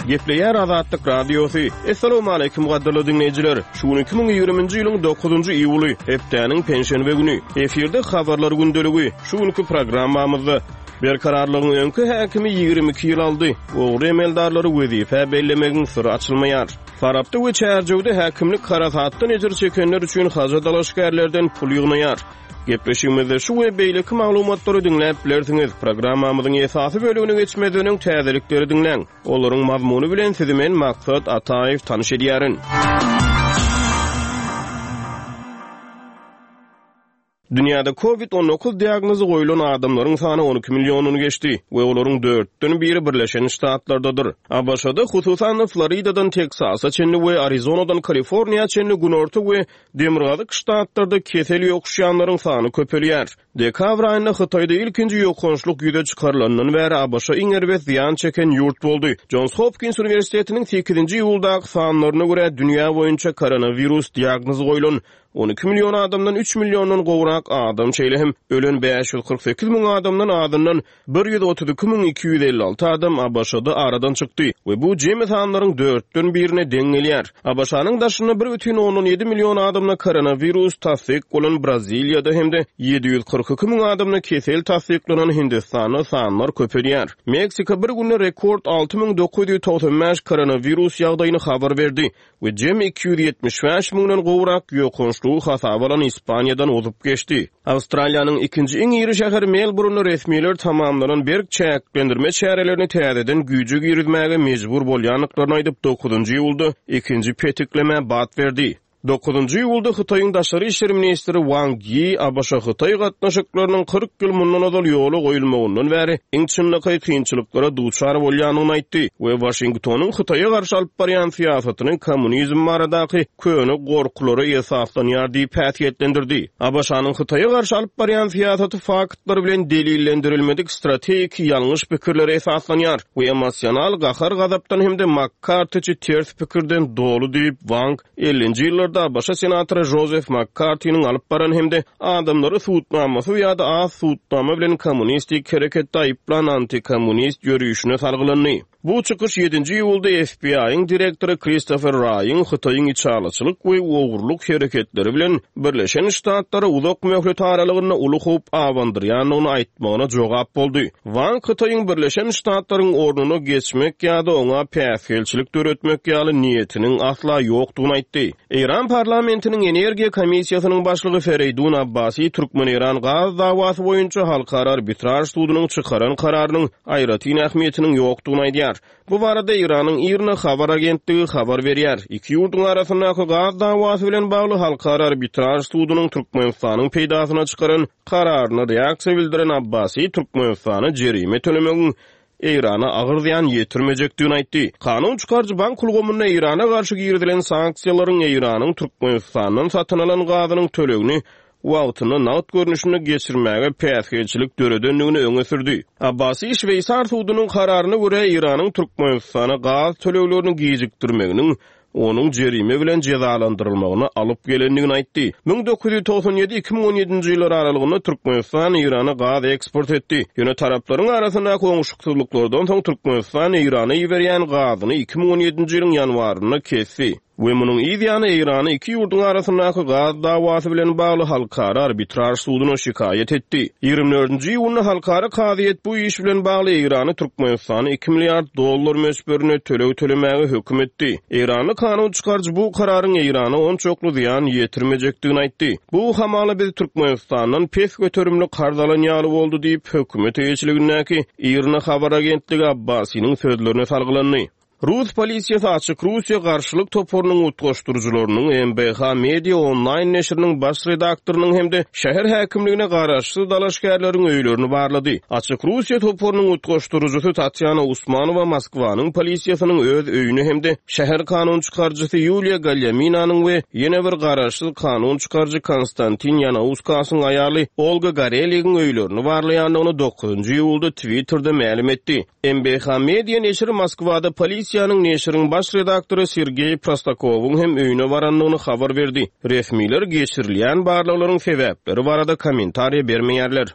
Gepleýär Azatlyk Radiosy. Essalawmaleýkim gadyrly diňleýjiler! Şu gün 2020-nji ýylyň dokuzynjy iýuly, hepdäniň penşenbe güni. Efirde Habarlar gündeligi. Şu günki programmamyzda Berkararlygyň öňki häkimi 22 ýyl aldy. Ogry emeldarlary wezipä bellemegiň syry açylmaýar. Farapda we Çärjewde häkimlik harasatdan ejir çekenler üçin haja dalaşgärlerden pul ýygnaýar. Gepleşigimizde şu we beýleki maglumatlary diňläp bilersiňiz. Programmamyzyň esasy bölegine geçmezden öň täzelikleri diňläň. Olaryň mazmuny bilen sizi men Maksat Ataýew tanyş edýärin. Dünýäde Covid 19 diagnozy goýlan adamlaryň sany 12 milliondan geçdi we olaryň dörtden biri Birleşen Ştatlardadyr. ABŞ-da, hususan-da, Floridadan Teksasa çenli we Arizonadan Kaliforniýa çenli günorta we Demirgazyk ştatlarda kesel ýokuşýanlaryň sany köpelýär. Dekabr aýynda Hytaýda ilkinji ýokançlyk ýüze çykarylandan bäri ABŞ iň erbet zyýan çeken ýurt boldy. Jons Hopkins uniwersitetiniň sekizinji iýuldaky sanlaryna görä, dünýä boýunça koronawirus diagnozy goýlan 12 million adamdan üç milliondan gowrak adam, şeýle hem ölen 548 müň adamdan azyndan 132 256 adam ABŞ-da aradan çykdy we bu jemi sanlaryň dörtden birine deň gelýär. ABŞ-nyň daşynda bir bütin ondan ýedi million adamda koronawirus tassyk bolan Braziliýada hem-de 742 müň adamda kesel tassyklanan Hindistanda sanlar köpelýär. Meksika bir günde rekord 6995 koronawirus ýagdaýyny habar berdi we jemi 275 müňden gowrak ýokançlygy hasaba alan Ispaniýadan ozup geçdi. Awstraliýanyň ikinji iň iri şäheri Melburunda resmiler tamamlanan berk çäklendirme çärelerini täzeden güýje girizmäge mejbur bolýandyklaryny aýdyp, dokuzynjy iýulda ikinji petiklemä bat berdi. Dokuzynjy iýulda Hytaýyň daşary işler ministri Wang Ýi ABŞ-Hytaý gatnaşyklarynyň 40 ýyl mundan ozal ýola goýulmagyndan bäri iň çynlakaý kynçylyklara duçar bolýandygyny aýtdy we Waşingtonyň Hytaýa garşy alyp barýan syýasatyny kommunizm baradaky köne gorkulara esaslanýar diýip häsiýetlendirdi. ABŞ-nyň Hytaýa garşy alyp barýan syýasaty faktlar bilen delillendirilmedik strategiki ýalňyş pikirlere esaslanýar we emosional gahar-gazapdan hem-de Makkartiçi ters pikirden doly diýip, Wang ellinji ýyllarda ABŞ senatory Jozef Makkartiniň alyp baran hem-de adamlary sudnamasyz ýa-da az sudnama bilen kommunistik hereketde aýyplan antikommunist ýörişine salgylandy. Bu çykyş ýedinji iýulda FBI-iň direktory Kristofer Raýyň Hytaýyň içalyçylyk we ogurlyk hereketleri bilen Birleşen Ştatlara uzak möhlet aralygynda uly howp abandyrýandygyny aýtmagyna jogap boldy. Wang Hytaýyň Birleşen Ştatlaryň ornuna geçmek ýa-da oňa päsgelçilik döretmek ýaly niýetiniň asla ýokdugyny aýtdy. Eýran parlamentiniň energiýa komissiýasynyň başlygy Fereýdun Abbasi türkmen-eýran gaz dawasy boýunça halkara arbitraž sudunyň çykaran kararynyň aýratyn ähmiýetiniň ýokdugyny aýdýar. Bu barada Eýranyň IRNA habar agentligi habar berýär. Iki ýurduň arasyndaky gaz dawasy bilen bagly halkara arbitraž sudunyň Türkmenistanyň peýdasyna çykaran kararyna reaksiýa bildiren Abbasi Türkmenistana jerime tölemegiň Eýrana agyr zyýan ýetirmejekdigini aýtdy. Kanun çykaryjy bank ulgamynda Eýrana garşy girizilen sanksiýalaryň Eýranyň Türkmenistandan satyn alan gazynyň tölegini wagtynda nagt görnüşinde geçirmäge päsgelçilik döredendigini öňe sürdi. Abbasi şweýsar sudunyň kararyna görä Eýranyň Türkmenistana gaz töleglerini gijikdirmeginiň onuň jerime bilen jezalandyrylmagyna alyp gelendigini aýtdy. 1997, 2017-nji ýyllar aralygynda Türkmenistan Eýrana gaz eksport etdi. Ýöne taraplaryň arasyndaky oňşuksyzlyklardan soň Türkmenistan Eýrana iberýän gazyny 2017-nji ýylyň ýanwarynda kesdi. We munuň yz ýany Eýrany iki ýurduň arasyndaky gaz dawasy bilen bagly halkara arbitraž suduna şikaýat etdi. Ýigrimi dördünji iýunda halkara kazyýet bu iş bilen bagly Eýrany Türkmenistana iki milliard dollar möçberinde töleg tölemäge höküm etdi. Eýranly kanun çykaryjy bu kararyň Eýrana onçakly zyýan ýetirmejekdigini aýtdy. Bu hamala biz Türkmenistandan pes göterimli karz alan ýaly boldy diýip, hökümet eýeçiligindäki IRNA habar agentligi Abbasiniň sözlerine salgylandy. Rus polisiýasy Açyk Russiýa garşylyk toparynyň utgaşdyryjylarynyň, MBH Media onlaýn neşiriniň baş redaktorynyň hem-de şäher häkimligine garaşsyz dalaşgärleriň öýlerini barlady. Açyk Russiýa toparynyň utgaşdyryjysy Tatýana Usmanowa Moskwanyň polisiýasynyň öz öýüni hem-de şäher kanun çykaryjysy Ýuliýa Galýaminanyň we ýene bir garaşsyz kanun çykaryjy Konstantin Ýanauskasyň aýaly Olga Goreligiň öýlerini barlaýandygyny dokuzynjy iýulda Twitterde mälim etdi. MBH Media neşiri Moskwada polisiýanyň neşiriň baş redaktory Sergeý Prostakowyň hem öýüne barandygyny habar berdi. Resmiler geçirilýän barlaglaryň sebäpleri barada kommentariýa bermeýärler.